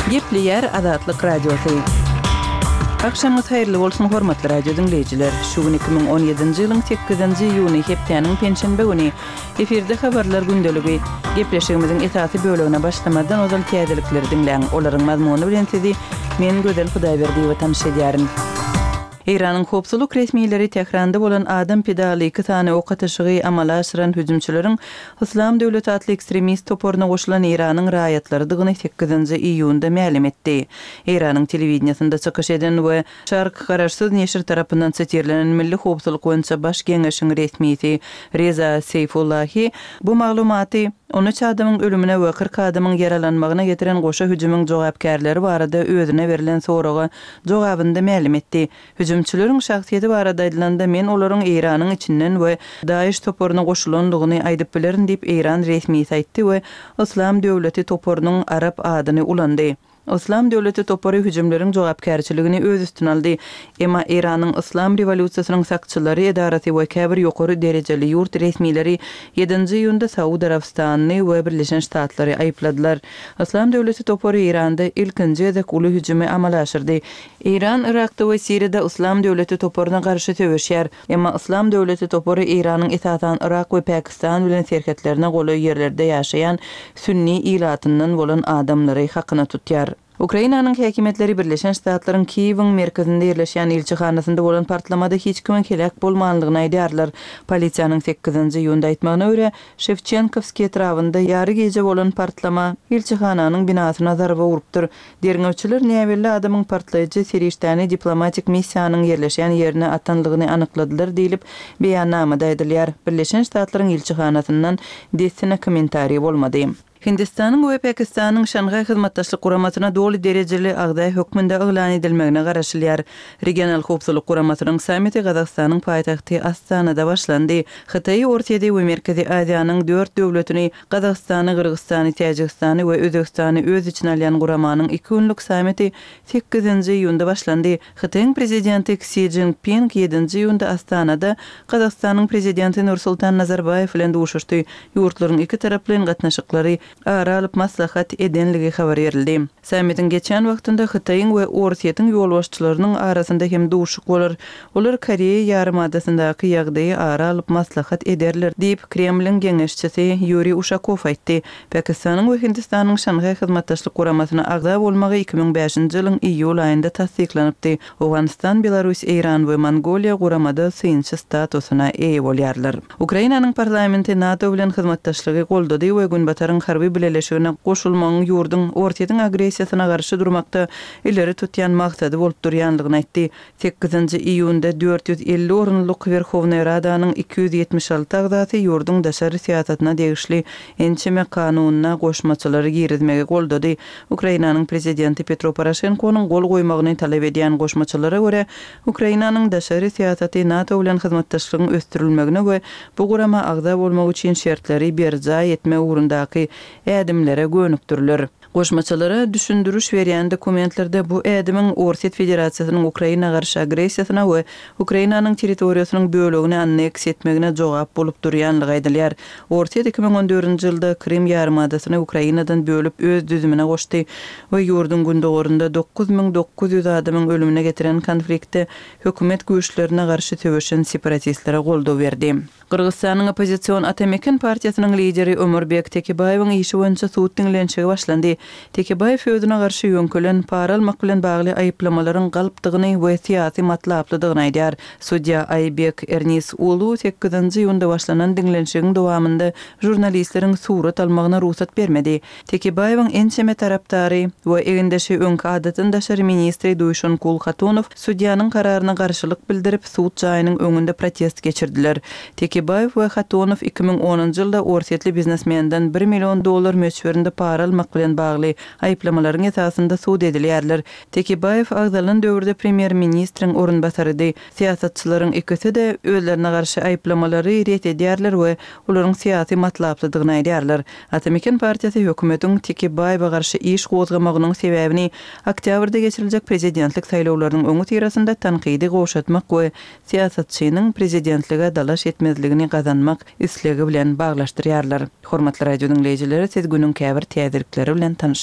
Gepleýär Azatlyk Radiosy. Agşamyňyz haýyrly bolsun, hormatly radio diňleýjiler! Şu gün 2017-nji ýylyň sekizinji iýuny, hepdäniň penşenbe güni. Efirde habarlar gündeligi. Gepleşigimiziň esasy bölegine başlamazdan ozal täzelikleri diňläň. Olaryň mazmuny bilen sizi men, Gözel Hudaýberdiýewa tanyş edýärin. Eýranyň howpsuzlyk resmileri Tähranda bolan adam pidaly iki sany ok atyşygy amala aşyran hüjümçileriň Yslam döwleti atly ekstremist toparyna goşulan Eýranyň raýatlarydygyny sekizinji iýunda mälim etdi. Eýranyň telewideniýesinde çykyş eden we Şark garaşsyz neşir tarapyndan sitirlenen Milli howpsuzlyk boýunça baş geňeşiň resmisi Reza Seýfullahi bu maglumaty 13 adamyň ölümine we 40 adamyň ýaralanmagyna getiren goşa hüjümiň jogapkärleri barada özüne berlen soraga jogabynda mälim etdi. Hüjümçileriň şahsyýeti barada aýdylanda, men olaryň Eýranyň içinden we DAIŞ toparyna goşulandygyny aýdyp bilerin diýip, eýran resmisi aýtdy we Yslam döwleti toparynyň arap adyny ulandy. Yslam döwleti topary hüjümleriň jogapkärçiligini öz üstüne aldy. Emma Eýranyň Yslam rewolýusiýasynyň sakçylary edarasy we käbir ýokary derejeli ýurt resmileri ýedinji iýunda Saud Arabystanyny we Birleşen Ştatlary aýypladylar. Yslam döwleti topary Eýranda ilkinji gezek uly hüjümi amala aşyrdy. Eýran Yrakda we Siriýada Yslam döwleti toparyna garşy söweşýär. Emma Yslam döwleti topary Eýranyň esasan Yrak we Pakistan bilen serhetlerine golaý ýerlerde ýaşaýan sünni ilatyndan bolan adamlary hakyna tutýar. Ukrainanyň häkimiýetleri Birleşen Ştatlaryň Kiýewiň merkezinde ýerleşýän ilçihanasynda bolan partlamada hiç kimiň heläk bolmanlygyny aýdýarlar. Polisiýanyň sekizinji iýunda aýtmagyna görä, Şewçenkowskiý etrabynda ýary gije bolan partlama ilçihananyň binasyna zarba urupdyr. Derňewçiler näbelli adamyň partlaýjy serişdäni diplomatik missiýanyň ýerleşýän ýerine atanlygyny anykladylar diýlip, beýannamada aýdylýar. Birleşen Ştatlaryň ilçihanasyndan dessine kommentariý bolmady. Hindistanyň we Pakistanyň Şanhaý Hyzmatdaşlyk Guramasyna doly derejeli agza hökmünde yglan edilmegine garaşylýar. Regional howpsuzlyk guramasynyň sammiti Gazagystanyň paýtagty Astanada başlandy. Hytaýy, Orsýeti we Merkezi Aziýanyň dört döwletini, Gazagystany, Gyrgyzystany, Täjigistany we Özbegistany öz içine alýan guramanyň iki günlük sammiti sekizinji iýunda başlandy. Hytaýyň Prezidenti Ksi Szinpin ýedinji iýunda Astanada Gazagystanyň Prezidenti Nursultan Nazarbaýew bilen duşuşdy. Ýurtlaryň ikitaraplaýyn gatnaşyklary ara alyp maslahat edenligi habar berildi. Sammitiň geçýän wagtynda Hytaýyň we Orsýetiň ýolbaşçylarynyň arasynda hem duşuşyk bolar. Olar Koreýa ýarymadasyndaky ýagdaýy ara alyp maslahat ederler diýip, Kremliň geňeşçisi Ýuriý Uşakow aýtdy. Pakistanyň we Hindistanyň Şanhaý Hyzmatdaşlyk Guramasyna agza bolmagy 2005-nji ýylyň iýul aýynda tassyklanypdy. Owganystan, Belarus, Eýran we Mongoliýa guramada synçy statusyna eýe bolýarlar. Ukrainanyň parlamenti NATO bilen hyzmatdaşlygy goldady we Günbataryň harby bileleşigine goşulmagyň ýurduň Orsýetiň agressiýasyna garşy durmakda ileri tutýan maksady bolup durýandygyny aýtdy. Sekizinji iýunda 450 orunlyk Werhownaý Radanyň 276 agzasy ýurduň daşary syýasatyna degişli ençeme kanunyna goşmaçalary girizmegi goldady. Ukrainanyň prezidenti Petro Poroşenkonyň gol goýmagyny talap edýän goşmaçalara görä, Ukrainanyň daşary syýasaty NATO bilen hyzmatdaşlygyň ösdürilmegine we bu gurama agza bolmak üçin şertleri berjaý etmek ugrundaky ädimlere gönükdiriler. Goşmaçalara düşündiriş berýän dokumentlerde bu ädimiň Orsýet Federasiýasynyň Ukraina garşy agressiýasyna we Ukrainanyň territoriýasynyň bölegini anneksiýa etmegine jogap bolup durýanlygy aýdylýar. Orsýet 2014-nji ýylda Krym ýarymadasyny Ukrainadan bölüp öz düzümine goşdy we ýurduň gündogarynda 9900 adamyň ölümine getiren konfliktde hökümet güýçlerine garşy söweşen separatistlere goldaw berdi. Gyrgyzystanyň oppozision Ata Meken partiýasynyň lideri Omurbek Tekebaýewiň işi boýunça sud diňlenişigi başlandy. Tekebaýew özüne garşy ýöňkelen para almak bilen bagly aýyplamalaryň galpdygyny we syýasy matlaplydygyny aýdýar. Sudýa Aýbek Ernis Ulu sekizinji iýunda başlanan diňlenişigiň dowamynda žurnalistleriň surat almagyna rugsat bermedi. Tekebaýewiň ençeme tarapdary we egindeşi öňki adatdan daşary ministri Duýşonkul Hatunow sudýanyň kararyna garşylyk bildirip, sud jaýynyň öňünde protest geçirdiler. Tekebaýew we Hatunow 2010-njy ýylda orsýetli biznesmenden bir million dollar möçberinde para almak bilen bagly aýyplamalaryň esasynda sud edilýärler. Tekebaýew agzalan döwürde premýer-ministriň orunbasarydy. Syýasatçylaryň ikisi-de özlerine garşy aýyplamalary ret edýärler we olaryň syýasy matlaplydygyny aýdýarlar. Ata-Meken partiýasy hökümetiň Tekebaýewe garşy iş gozgamagynyň sebäbini oktýabrda geçiriljek prezidentlik saýlawlarynyň öňüsyrasynda tankydy gowşatmak we syýasatçynyň prezidentlige dalaş etmezligini gazanmak islegi bilen baglaşdyrýarlar. Hormatly radio diňleýjileri, siz günüň käbir täzelikleri bilen tanyş.